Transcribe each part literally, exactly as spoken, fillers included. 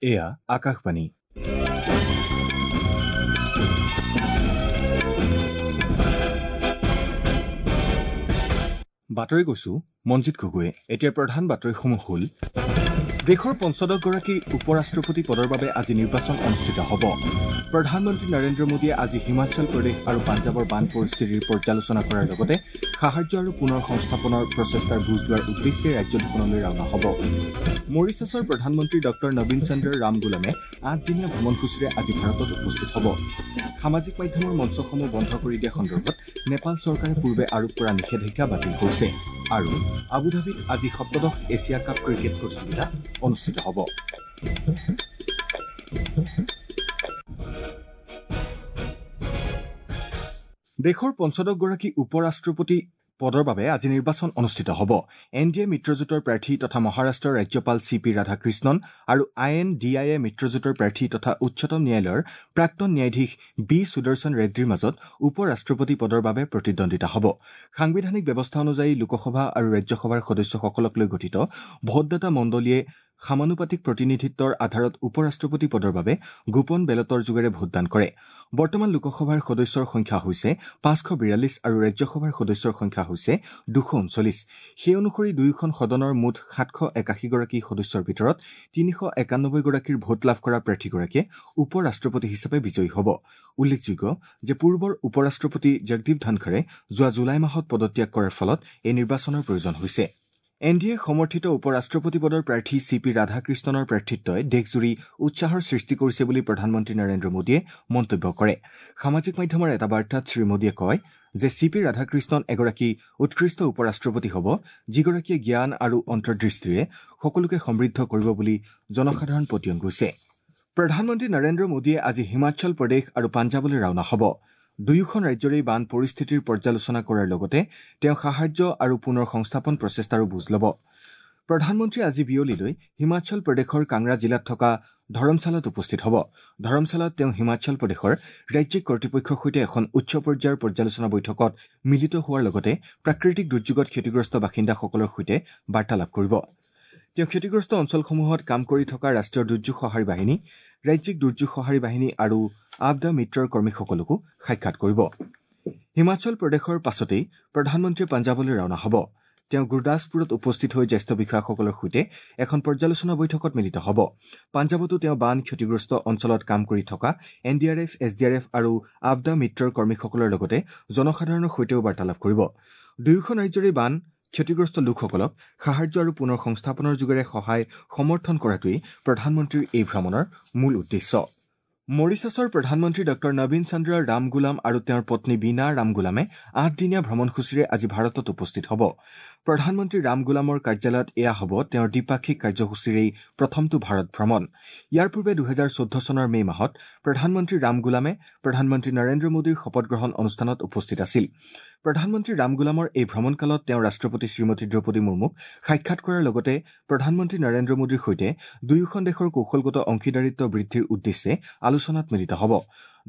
এয়া আকাশবাণী। বাতৰি কৈছো মঞ্জিত গগৈয়ে। এতিয়া প্ৰধান বাতৰিসমূহ হ'ল: দেশৰ পঞ্চদশগৰাকী উপ ৰাষ্ট্ৰপতি পদৰ বাবে আজি নিৰ্বাচন অনুষ্ঠিত হ'ব। প্ৰধানমন্ত্ৰী নৰেন্দ্ৰ মোদীয়ে আজি হিমাচল প্ৰদেশ আৰু পাঞ্জাৱৰ বান পৰিস্থিতিৰ পৰ্যালোচনা কৰাৰ লগতে সাহায্য আৰু পুনৰ সংস্থাপনৰ প্ৰচেষ্টাৰ বুজ লোৱাৰ উদ্দেশ্যে ৰাজ্য দুখনলৈ ৰাওনা হ'ব। মৰিচাছৰ প্ৰধানমন্ত্ৰী ডক্টৰ নবীন চন্দ্ৰ ৰামগুলামে আঠদিনীয়া ভ্ৰমণসূচীৰে আজি ভাৰতত উপস্থিত হ'ব। সামাজিক মাধ্যমৰ মঞ্চসমূহ বন্ধ কৰি দিয়া সন্দৰ্ভত নেপাল চৰকাৰে পূৰ্বে আৰোপ কৰা নিষেধাজ্ঞা বাতিল কৰিছে। আৰু আবুধাবিত আজি সপ্তদশ এছিয়া কাপ ক্ৰিকেট প্ৰতিযোগিতা অনুষ্ঠিত হ'ব। দেশৰ পঞ্চদশগৰাকী উপ ৰাষ্ট্ৰপতি পদৰ বাবে আজি নিৰ্বাচন অনুষ্ঠিত হ'ব। এন ডি এ মিত্ৰজোঁটৰ প্ৰাৰ্থী তথা মহাৰাষ্ট্ৰৰ ৰাজ্যপাল চি পি ৰাধাকৃষ্ণন আৰু আই এন ডি I A মিত্ৰজোঁটৰ প্ৰাৰ্থী তথা উচ্চতম ন্যায়ালয়ৰ প্ৰাক্তন ন্যায়াধীশ বি সুদৰ্শন ৰেড্ডীৰ মাজত উপ ৰাষ্ট্ৰপতি পদৰ বাবে প্ৰতিদ্বন্দ্বিতা হ'ব। সাংবিধানিক ব্যৱস্থা অনুযায়ী লোকসভা আৰু ৰাজ্যসভাৰ সদস্যসকলক লৈ গঠিত ভোটদাতা মণ্ডলীয়ে সমানুপাতিক প্ৰতিনিধিত্বৰ আধাৰত উপ ৰাষ্ট্ৰপতি পদৰ বাবে গোপন বেলটৰ যোগেৰে ভোটদান কৰে। বৰ্তমান লোকসভাৰ সদস্যৰ সংখ্যা হৈছে পাঁচশ বিৰাল্লিছ আৰু ৰাজ্যসভাৰ সদস্যৰ সংখ্যা হৈছে দুশ ঊনচল্লিছ। সেই অনুসৰি দুয়োখন সদনৰ মুঠ সাতশ একাশীগৰাকী সদস্যৰ ভিতৰত তিনিশ একানব্বৈগৰাকীৰ ভোট লাভ কৰা প্ৰাৰ্থীগৰাকীয়ে উপ ৰাষ্ট্ৰপতি হিচাপে বিজয়ী হ'ব। উল্লেখযোগ্য যে পূৰ্বৰ উপ ৰাষ্ট্ৰপতি জগদীপ ধনখৰে যোৱা জুলাই মাহত পদত্যাগ কৰাৰ ফলত এই নিৰ্বাচনৰ প্ৰয়োজন হৈছে। এন ডি এ সমৰ্থিত উপ ৰাষ্ট্ৰপতি পদৰ প্ৰাৰ্থী চি পি ৰাধাকৃষ্ণনৰ প্ৰাৰ্থিত্বই দেশজুৰি উৎসাহৰ সৃষ্টি কৰিছে বুলি প্ৰধানমন্ত্ৰী নৰেন্দ্ৰ মোদীয়ে মন্তব্য কৰে। সামাজিক মাধ্যমৰ এটা বাৰ্তাত শ্ৰীমোদীয়ে কয় যে চি পি ৰাধাকৃষ্ণন এগৰাকী উৎকৃষ্ট উপ ৰাষ্ট্ৰপতি হ'ব, যিগৰাকীয়ে জ্ঞান আৰু অন্তৰ্দৃষ্টিৰে সকলোকে সমৃদ্ধ কৰিব বুলি জনসাধাৰণ পতিয়ন গৈছে। প্ৰধানমন্ত্ৰী নৰেন্দ্ৰ মোদীয়ে আজি হিমাচল প্ৰদেশ আৰু পাঞ্জাৱলৈ ৰাওনা হ'ব। দুয়োখন ৰাজ্যৰেই বান পৰিস্থিতিৰ পৰ্যালোচনা কৰাৰ লগতে তেওঁ সাহায্য আৰু পুনৰ সংস্থাপন প্ৰচেষ্টাৰো বুজ ল'ব। প্ৰধানমন্ত্ৰীয়ে আজি বিয়লিলৈ হিমাচল প্ৰদেশৰ কাংৰা জিলাত থকা ধৰমশালাত উপস্থিত হ'ব। ধৰমশালাত তেওঁ হিমাচল প্ৰদেশৰ ৰাজ্যিক কৰ্তৃপক্ষৰ সৈতে এখন উচ্চ পৰ্যায়ৰ পৰ্যালোচনা বৈঠকত মিলিত হোৱাৰ লগতে প্ৰাকৃতিক দুৰ্যোগত ক্ষতিগ্ৰস্ত বাসিন্দাসকলৰ সৈতে বাৰ্তালাপ কৰিব। তেওঁ ক্ষতিগ্ৰস্ত অঞ্চলসমূহত কাম কৰি থকা ৰাষ্ট্ৰীয় দুৰ্যোগ সঁহাৰি বাহিনী, ৰাজ্যিক দুৰ্যোগ সঁহাৰি বাহিনী আৰু আপদা মিত্ৰৰ কৰ্মীসকলকো সাক্ষাৎ কৰিব। হিমাচল প্ৰদেশৰ পাছতেই প্ৰধানমন্ত্ৰীয়ে পাঞ্জাৱলৈ ৰাওনা হ'ব। তেওঁ গুৰদাসপুৰত উপস্থিত হৈ জ্যেষ্ঠ বিষয়াসকলৰ সৈতে এখন পৰ্যালোচনা বৈঠকত মিলিত হ'ব। পাঞ্জাৱতো তেওঁ বান ক্ষতিগ্ৰস্ত অঞ্চলত কাম কৰি থকা N D R F, S D R F আৰু আপদা মিত্ৰৰ কৰ্মীসকলৰ লগতে জনসাধাৰণৰ সৈতেও বাৰ্তালাপ কৰিব। দুয়োখন ৰাজ্যৰে বান ক্ষতিগ্ৰস্ত লোকসকলক সাহায্য আৰু পুনৰ সংস্থাপনৰ যোগেৰে সহায় সমৰ্থন কৰাটোৱেই প্ৰধানমন্ত্ৰীৰ এই ভ্ৰমণৰ মূল উদ্দেশ্য। মৰিচাছৰ প্ৰধানমন্ত্ৰী ডক্টৰ নবীন চন্দ্ৰ ৰামগুলাম আৰু তেওঁৰ পত্নী বীণা ৰামগুলামে আঠদিনীয়া ভ্ৰমণসূচীৰে আজি ভাৰতত উপস্থিত হ'ব। প্ৰধানমন্ত্ৰী ৰামগুলামৰ কাৰ্যালয়ত এয়া হ'ব তেওঁৰ দ্বিপাক্ষিক কাৰ্যসূচীৰেই প্ৰথমটো ভাৰত ভ্ৰমণ। ইয়াৰ পূৰ্বে দুহেজাৰ চৈধ্য চনৰ মে মাহত প্ৰধানমন্ত্ৰী ৰামগুলামে প্ৰধানমন্ত্ৰী নৰেন্দ্ৰ মোদীৰ শপতগ্ৰহণ অনুষ্ঠানত উপস্থিত আছিল। প্ৰধানমন্ত্ৰী ৰামগুলামৰ এই ভ্ৰমণকালত তেওঁ ৰাষ্ট্ৰপতি শ্ৰীমতী দ্ৰৌপদী মুৰ্মুক সাক্ষাৎ কৰাৰ লগতে প্ৰধানমন্ত্ৰী নৰেন্দ্ৰ মোদীৰ সৈতে দুয়োখন দেশৰ কৌশলগত অংশীদাৰিত্ব বৃদ্ধিৰ উদ্দেশ্যে আলোচনাত মিলিত হ'ব।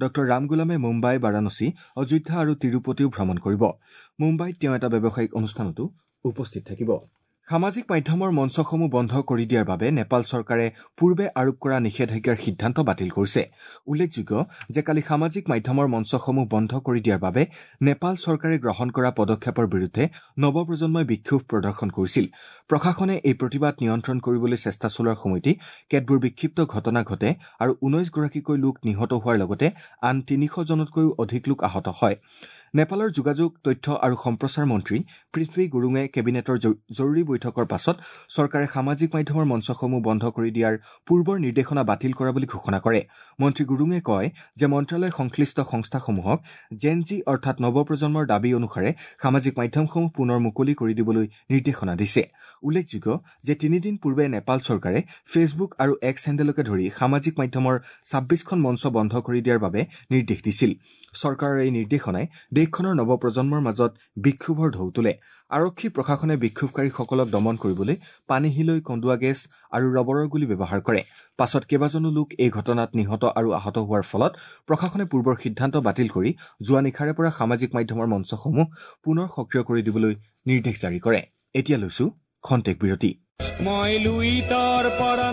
ডক্টৰ ৰামগুলামে মুম্বাই, বাৰাণসী, অযোধ্যা আৰু তিৰুপতিও ভ্ৰমণ কৰিব। মুম্বাইত তেওঁ এটা ব্যৱসায়িক অনুষ্ঠানতো উপস্থিত থাকিব। সামাজিক মাধ্যমৰ মঞ্চসমূহ বন্ধ কৰি দিয়াৰ বাবে নেপাল চৰকাৰে পূৰ্বে আৰোপ কৰা নিষেধাজ্ঞাৰ সিদ্ধান্ত বাতিল কৰিছে। উল্লেখযোগ্য যে কালি সামাজিক মাধ্যমৰ মঞ্চসমূহ বন্ধ কৰি দিয়াৰ বাবে নেপাল চৰকাৰে গ্ৰহণ কৰা পদক্ষেপৰ বিৰুদ্ধে নৱপ্ৰজন্মই বিক্ষোভ প্ৰদৰ্শন কৰিছিল। প্ৰশাসনে এই প্ৰতিবাদ নিয়ন্ত্ৰণ কৰিবলৈ চেষ্টা চলোৱাৰ সময়তেই কেতবোৰ বিক্ষিপ্ত ঘটনা ঘটে আৰু ঊনৈছগৰাকীকৈ লোক নিহত হোৱাৰ লগতে আন তিনিশজনতকৈও অধিক লোক আহত হয়। নেপালৰ যোগাযোগ, তথ্য আৰু সম্প্ৰচাৰ মন্ত্ৰী পৃথ্বী গুৰুঙে কেবিনেটৰ জৰুৰী বৈঠকৰ পাছত চৰকাৰে সামাজিক মাধ্যমৰ মঞ্চসমূহ বন্ধ কৰি দিয়াৰ পূৰ্বৰ নিৰ্দেশনা বাতিল কৰা বুলি ঘোষণা কৰে। মন্ত্ৰী গুৰুঙে কয় যে মন্ত্ৰালয় সংশ্লিষ্ট সংস্থাসমূহক জেন জি অৰ্থাৎ নৱপ্ৰজন্মৰ দাবী অনুসাৰে সামাজিক মাধ্যমসমূহ পুনৰ মুকলি কৰি দিবলৈ নিৰ্দেশনা দিছে। উল্লেখযোগ্য যে তিনিদিন পূৰ্বে নেপাল চৰকাৰে ফেচবুক আৰু এক্স হেণ্ডেলকে ধৰি সামাজিক মাধ্যমৰ ছাব্বিছখন মঞ্চ বন্ধ কৰি দিয়াৰ বাবে নিৰ্দেশ দিছিল। চৰকাৰৰ এই নিৰ্দেশনাই দেশখনৰ নৱপ্ৰজন্মৰ মাজত বিক্ষোভৰ ঢৌ তোলে। আৰক্ষী প্ৰশাসনে বিক্ষোভকাৰীসকলক দমন কৰিবলৈ পানীহিলৈ কন্দুৱা গেছ আৰু ৰবৰৰ গুলী ব্যৱহাৰ কৰে। পাছত কেইবাজনো লোক এই ঘটনাত নিহত আৰু আহত হোৱাৰ ফলত প্ৰশাসনে পূৰ্বৰ সিদ্ধান্ত বাতিল কৰি যোৱা নিশাৰে পৰা সামাজিক মাধ্যমৰ মঞ্চসমূহ পুনৰ সক্ৰিয় কৰি দিবলৈ নিৰ্দেশ জাৰি কৰে। এতিয়া লৈছো খন্তেক বিৰতি। মই লুইতৰ পৰা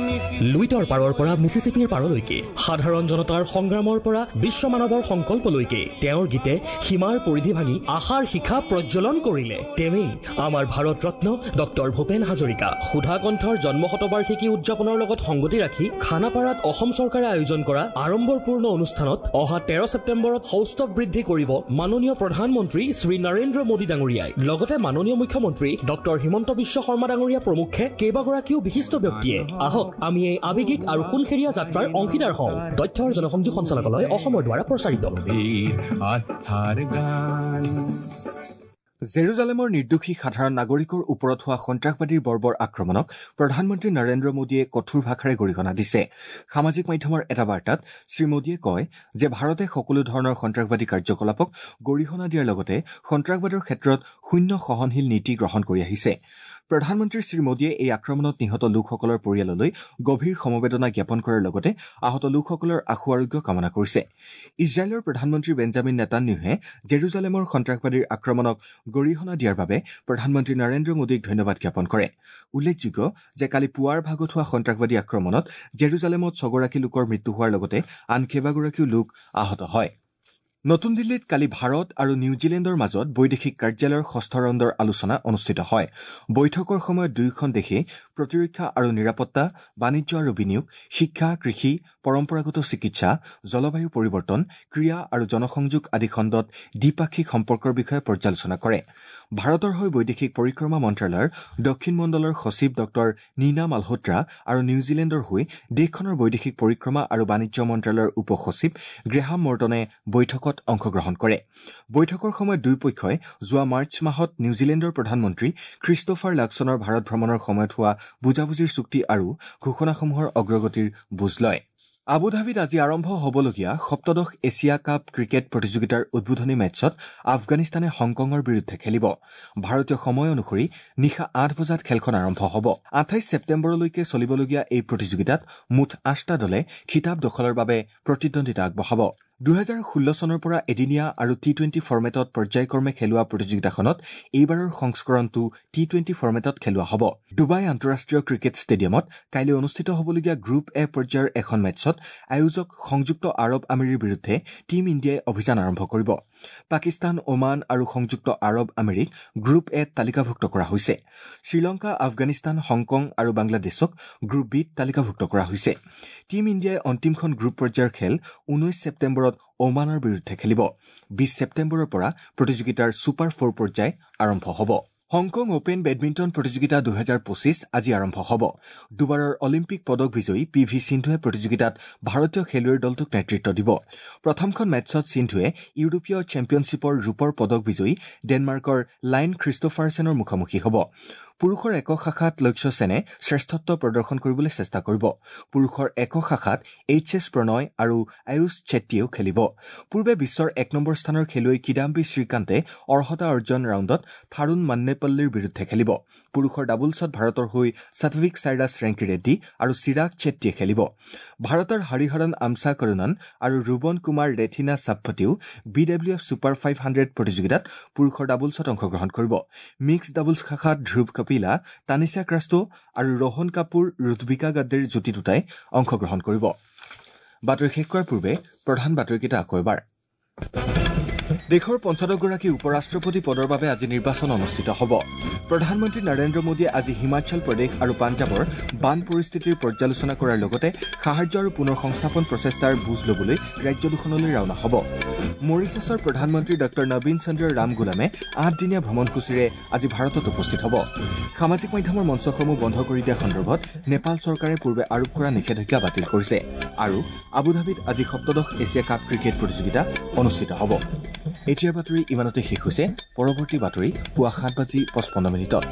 লুইতৰ পাৰৰ পৰা মিচিচিপিৰ পাৰলৈকে, সাধাৰণ জনতাৰ সংগ্ৰামৰ পৰা বিশ্ব মানৱৰ সংকল্পলৈকে তেওঁৰ গীতে সীমাৰ পৰিধি ভাঙি আশাৰ শিখা প্ৰজ্বলন কৰিলে। তেওঁৱেই আমাৰ ভাৰত ৰত্ন ডক্টৰ ভূপেন হাজৰিকা। সুধাকণ্ঠৰ জন্ম শতবাৰ্ষিকী উদযাপনৰ লগত সংগতি ৰাখি খানাপাৰাত অসম চৰকাৰে আয়োজন কৰা আড়ম্বৰপূৰ্ণ অনুষ্ঠানত অহা তেৰ ছেপ্টেম্বৰত সৌষ্ঠৱ বৃদ্ধি কৰিব মাননীয় প্ৰধানমন্ত্ৰী শ্ৰী নৰেন্দ্ৰ মোদী ডাঙৰীয়াই। লগতে মাননীয় মুখ্যমন্ত্ৰী ডক্টৰ হিমন্ত বিশ্ব শৰ্মা ডাঙৰীয়া প্ৰমুখ্যে কেইবাগৰাকীও বিশিষ্ট ব্যক্তিয়ে। আহক আমি এই আৱেগিক আৰু সোণসেৰীয়া যাত্ৰাৰ অংশীদাৰ হওঁ। তথ্য আৰু জনসংযোগ সঞ্চালকালয় অসমৰ দ্বাৰা প্ৰচাৰিত। জেৰুজালেমৰ নিৰ্দোষী সাধাৰণ নাগৰিকৰ ওপৰত হোৱা সন্ত্ৰাসবাদীৰ বৰ্বৰ আক্ৰমণক প্ৰধানমন্ত্ৰী নৰেন্দ্ৰ মোদীয়ে কঠোৰ ভাষাৰে গৰিহণা দিছে। সামাজিক মাধ্যমৰ এটা বাৰ্তাত শ্ৰীমোদীয়ে কয় যে ভাৰতে সকলো ধৰণৰ সন্ত্ৰাসবাদী কাৰ্যকলাপক গৰিহণা দিয়াৰ লগতে সন্ত্ৰাসবাদৰ ক্ষেত্ৰত শূন্য সহনশীল নীতি গ্ৰহণ কৰি আহিছে। প্ৰধানমন্ত্ৰী শ্ৰীমোদীয়ে এই আক্ৰমণত নিহত লোকসকলৰ পৰিয়াললৈ গভীৰ সমবেদনা জ্ঞাপন কৰাৰ লগতে আহত লোকসকলৰ আশু আৰোগ্য কামনা কৰিছে। ইজৰাইলৰ প্ৰধানমন্ত্ৰী বেঞ্জামিন নেতান্যাহুৱে জেৰুজালেমৰ সন্ত্ৰাসবাদীৰ আক্ৰমণক গৰিহণা দিয়াৰ বাবে প্ৰধানমন্ত্ৰী নৰেন্দ্ৰ মোদীক ধন্যবাদ জ্ঞাপন কৰে। উল্লেখযোগ্য যে কালি পুৱাৰ ভাগত হোৱা সন্ত্ৰাসবাদী আক্ৰমণত জেৰুজালেমত ছগৰাকী লোকৰ মৃত্যু হোৱাৰ লগতে আন কেইবাগৰাকীও লোক আহত হয়। নতুন দিল্লীত কালি ভাৰত আৰু নিউজিলেণ্ডৰ মাজত বৈদেশিক কাৰ্যালয়ৰ ষষ্ঠ ৰাউণ্ডৰ আলোচনা অনুষ্ঠিত হয়। বৈঠকৰ সময়ত দুয়োখন দেশে প্ৰতিৰক্ষা আৰু নিৰাপত্তা, বাণিজ্য আৰু বিনিয়োগ, শিক্ষা, কৃষি, পৰম্পৰাগত চিকিৎসা, জলবায়ু পৰিৱৰ্তন, ক্ৰীড়া আৰু জনসংযোগ আদি খণ্ডত দ্বিপাক্ষিক সম্পৰ্কৰ বিষয়ে পৰ্যালোচনা কৰে। ভাৰতৰ হৈ বৈদেশিক পৰিক্ৰমা মন্ত্ৰালয়ৰ দক্ষিণ মণ্ডলৰ সচিব ডক্টৰ নীনা মালহোত্ৰা আৰু নিউজিলেণ্ডৰ হৈ দেশখনৰ বৈদেশিক পৰিক্ৰমা আৰু বাণিজ্য মন্ত্ৰালয়ৰ উপ সচিব গ্ৰেহাম মৰ্টনে বৈঠকত অংশগ্ৰহণ কৰে। বৈঠকৰ সময়ত দুয়োপক্ষই যোৱা মাৰ্চ মাহত নিউজিলেণ্ডৰ প্ৰধানমন্ত্ৰী খ্ৰীষ্টোফাৰ লাক্সনৰ ভাৰত ভ্ৰমণৰ সময়ত হোৱা বুজাবুজিৰ চুক্তি আৰু ঘোষণাসমূহৰ অগ্ৰগতিৰ বুজ লয়। আবুধাবিত আজি আৰম্ভ হ'বলগীয়া সপ্তদশ এছিয়া কাপ ক্ৰিকেট প্ৰতিযোগিতাৰ উদ্বোধনী মেচত আফগানিস্তানে হংকঙৰ বিৰুদ্ধে খেলিব। ভাৰতীয় সময় অনুসৰি নিশা আঠ বজাত খেলখন আৰম্ভ হ'ব। আঠাইছ ছেপ্টেম্বৰলৈকে চলিবলগীয়া এই প্ৰতিযোগিতাত মুঠ আঠটা দলে খিতাপ দখলৰ বাবে প্ৰতিদ্বন্দ্বিতা আগবঢ়াব। দুহেজাৰ ষোল্ল চনৰ পৰা এদিনীয়া আৰু টি টুৱেণ্টি ফৰ্মেটত পৰ্যায়ক্ৰমে খেলোৱা প্ৰতিযোগিতাখনত এইবাৰৰ সংস্কৰণটো টি টুৱেণ্টি ফৰ্মেটত খেলোৱা হ'ব। ডুবাই আন্তঃৰাষ্ট্ৰীয় ক্ৰিকেট ষ্টেডিয়ামত কাইলৈ অনুষ্ঠিত হ'বলগীয়া গ্ৰুপ এ পৰ্যায়ৰ এখন মেচত আয়োজক সংযুক্ত আৰৱ আমিৰীৰ বিৰুদ্ধে টীম ইণ্ডিয়াই অভিযান আৰম্ভ কৰিব। পাকিস্তান, ওমান আৰু সংযুক্ত আৰৱ আমিৰীক গ্ৰুপ এত তালিকাভুক্ত কৰা হৈছে। শ্ৰীলংকা, আফগানিস্তান, হংকং আৰু বাংলাদেশক গ্ৰুপ বিত তালিকাভুক্ত কৰা হৈছে। টীম ইণ্ডিয়াই অন্তিমখন গ্ৰুপ পৰ্যায়ৰ খেল ঊনৈশ ছেপ্টেম্বৰত ওমানৰ বিৰুদ্ধে খেলিব। বিশ ছেপ্টেম্বৰৰ পৰা প্ৰতিযোগিতাৰ ছুপাৰ ফ'ৰ পৰ্যায় আৰম্ভ হ'ব। হংকং অপেন বেডমিণ্টন প্ৰতিযোগিতা দুহেজাৰ পঁচিছ আজি আৰম্ভ হ'ব। দুবাৰৰ অলিম্পিক পদক বিজয়ী পি ভি সিন্ধুৱে প্ৰতিযোগিতাত ভাৰতীয় খেলুৱৈৰ দলটোক নেতৃত্ব দিব। প্ৰথমখন মেচত সিন্ধুৱে ইউৰোপীয় চেম্পিয়নশ্বিপৰ ৰূপৰ পদক বিজয়ী ডেনমাৰ্কৰ লাইন খ্ৰীষ্টোফাৰছেনৰ মুখামুখি হ'ব। পুৰুষৰ একক শাখাত লক্ষ্য সেনে শ্ৰেষ্ঠত্ব প্ৰদৰ্শন কৰিবলৈ চেষ্টা কৰিব। পুৰুষৰ একক শাখাত এইচ এছ প্ৰণয় আৰু আয়ুষ চেট্টীয়েও খেলিব। পূৰ্বে বিশ্বৰ এক নম্বৰ স্থানৰ খেলুৱৈ কিদাম্বী শ্ৰীকান্তে অৰ্হতা অৰ্জন ৰাউণ্ডত থাৰুণ মান্নেপল্লীৰ বিৰুদ্ধে খেলিব। পুৰুষৰ ডাবলছত ভাৰতৰ হৈ সাত্বিক সাইৰাজ ৰেংকি ৰেড্ডী আৰু চিৰাগ চেট্টীয়ে খেলিব। ভাৰতৰ হৰিহৰণ আমচা কৰুণন আৰু ৰুবন Kumar ৰেথিনা চাপ্পতিও B W F super five hundred প্ৰতিযোগিতাত পুৰুষৰ ডাবলছত অংশগ্ৰহণ কৰিব। মিক্স ডাবলছ শাখাত ধ্ৰুৱ কপিলা, তানিছা ক্ৰাষ্টো আৰু ৰোহন কাপুৰ ৰুথবিকা গাদ্দেৰ জুটি দুটাই অংশগ্ৰহণ কৰিব। বাতৰি শেষ কৰাৰ পূৰ্বে প্ৰধান বাতৰিকেইটা আকৌ এবাৰ। দেশৰ পঞ্চদশগৰাকী উপ ৰাষ্ট্ৰপতি পদৰ বাবে আজি নিৰ্বাচন অনুষ্ঠিত হ'ব। প্ৰধানমন্ত্ৰী নৰেন্দ্ৰ মোদীয়ে আজি হিমাচল প্ৰদেশ আৰু পাঞ্জাৱৰ বান পৰিস্থিতিৰ পৰ্যালোচনা কৰাৰ লগতে সাহায্য আৰু পুনৰ সংস্থাপন প্ৰচেষ্টাৰ বুজ ল'বলৈ ৰাজ্য দুখনলৈ ৰাওনা হ'ব। মৰিচাছৰ প্ৰধানমন্ত্ৰী ডঃ নবীন চন্দ্ৰ ৰামগুলামে আঠদিনীয়া ভ্ৰমণসূচীৰে আজি ভাৰতত উপস্থিত হ'ব। সামাজিক মাধ্যমৰ মঞ্চসমূহ বন্ধ কৰি দিয়া সন্দৰ্ভত নেপাল চৰকাৰে পূৰ্বে আৰোপ কৰা নিষেধাজ্ঞা বাতিল কৰিছে। আৰু আবুধাবিত আজি সপ্তদশ এছিয়া কাপ ক্ৰিকেট প্ৰতিযোগিতা অনুষ্ঠিত হ'ব। এতিয়াৰ বাতৰি ইমানতে শেষ হৈছে। পৰৱৰ্তী বাতৰি পুৱা সাত বাজি পঁচপন্ন মিনিটত।